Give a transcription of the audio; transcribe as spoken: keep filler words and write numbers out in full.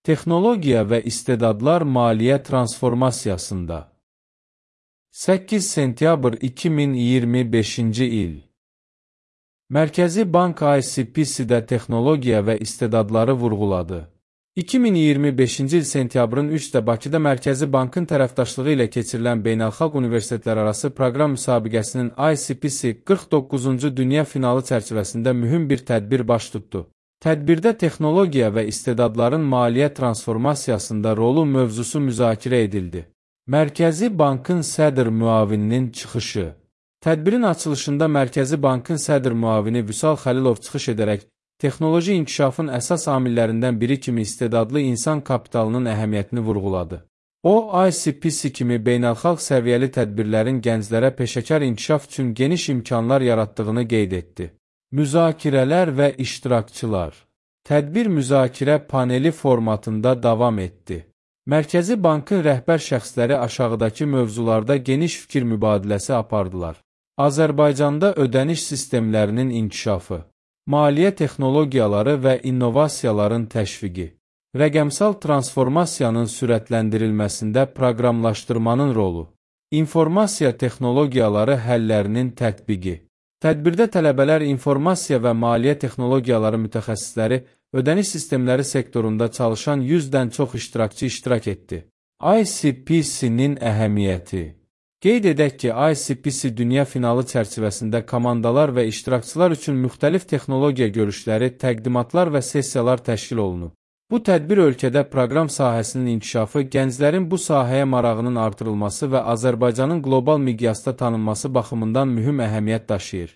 Texnologiya və istedadlar maliyyə transformasiyasında. səkkiz sentyabr iki min iyirmi beşinci il. Mərkəzi Bank I C P C-də texnologiya və istedadları vurğuladı. iki min iyirmi beşinci il sentyabrın üçdə Bakıda Mərkəzi Bankın tərəfdaşlığı ilə keçirilən Beynəlxalq Universitetlərarası Proqram müsabiqəsinin I C P C qırx doqquzuncu Dünya finalı çərçivəsində mühüm bir tədbir baş tutdu. Tədbirdə texnologiya və istedadların maliyyə transformasiyasında rolu mövzusu müzakirə edildi. Mərkəzi Bankın sədr müavininin çıxışı. Tədbirin açılışında Mərkəzi Bankın sədr müavini Vüsal Xəlilov çıxış edərək, texnoloji inkişafın əsas amillərindən biri kimi istedadlı insan kapitalının əhəmiyyətini vurğuladı. O, I C P C kimi beynəlxalq səviyyəli tədbirlərin gənclərə peşəkar inkişaf üçün geniş imkanlar yaratdığını qeyd etdi. Müzakirələr və iştirakçılar. Tədbir müzakirə paneli formatında davam etdi. Mərkəzi Bankın rəhbər şəxsləri aşağıdakı mövzularda geniş fikir mübadiləsi apardılar. Azərbaycanda ödəniş sistemlərinin inkişafı, maliyyə texnologiyaları və innovasiyaların təşviqi, rəqəmsal transformasiyanın sürətləndirilməsində proqramlaşdırmanın rolu, informasiya texnologiyaları həllərinin tətbiqi. Tədbirdə tələbələr informasiya və maliyyə texnologiyaları mütəxəssisləri ödəniş sistemləri sektorunda çalışan yüzdən çox iştirakçı iştirak etdi. I C P C-nin əhəmiyyəti. Qeyd edək ki, I C P C dünya finalı çərçivəsində komandalar və iştirakçılar üçün müxtəlif texnologiya görüşləri, təqdimatlar və sessiyalar təşkil olunub. Bu tədbir ölkədə proqram sahəsinin inkişafı, gənclərin bu sahəyə marağının artırılması və Azərbaycanın qlobal miqyasda tanınması baxımından mühüm əhəmiyyət daşıyır.